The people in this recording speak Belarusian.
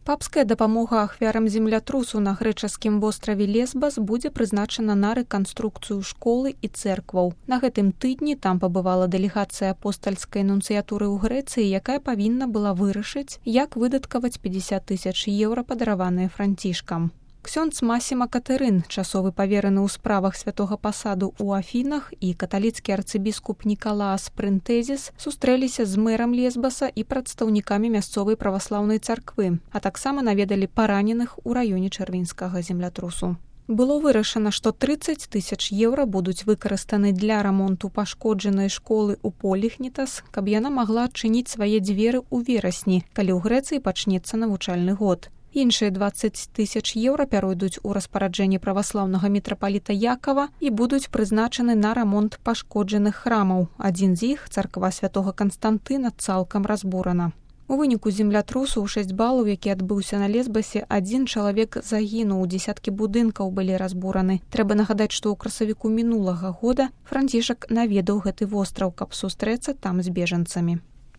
Папская дапамога ахвярам землятрусу на грэчаскім востраве Лесбас будзе прызначана на рэканструкцыю школы і цэркваў. На гэтым тыдні там пабывала дэлегацыя апостальскай нунцыятуры ў Грэцыі, якая павінна была вырашыць, як выдаткаваць 50 000 еўра, падараваныя Францішкам. Ксёндз Масіма Катэрын, часовы павераны ў справах святога пасаду ў Афінах, і каталіцкі арцыбіскуп Нікалаас Прынтэзіс сустрэліся з мэрам Лесбаса і прадстаўнікамі мясцовай праваслаўнай царквы, а таксама наведалі параненых у раёне чэрвеньскага землятрусу. Было вырашана, што 30 000 еўра будуць выкарыстаны для рамонту пашкоджанай школы ў Поліхнітас, каб яна магла адчыніць свае дзверы ў верасні, калі ў Грэцыі пачнецца навучальны год. Іншыя 20 000 еўра пяройдуць у распараджэнне праваслаўнага мітрапаліта Якава і будуць прызначаны на рамонт пашкоджаных храмаў. Адзін з іх, царква святога Канстантына, цалкам разбурана. У выніку землятрусу ў 6 балаў, які адбыўся на Лесбасе, 1 чалавек загінуў, дзесяткі будынкаў былі разбураны. Трэба нагадаць, што ў красавіку мінулага года Францішак наведаў гэты востраў, каб сустрэцца там з бежанцамі.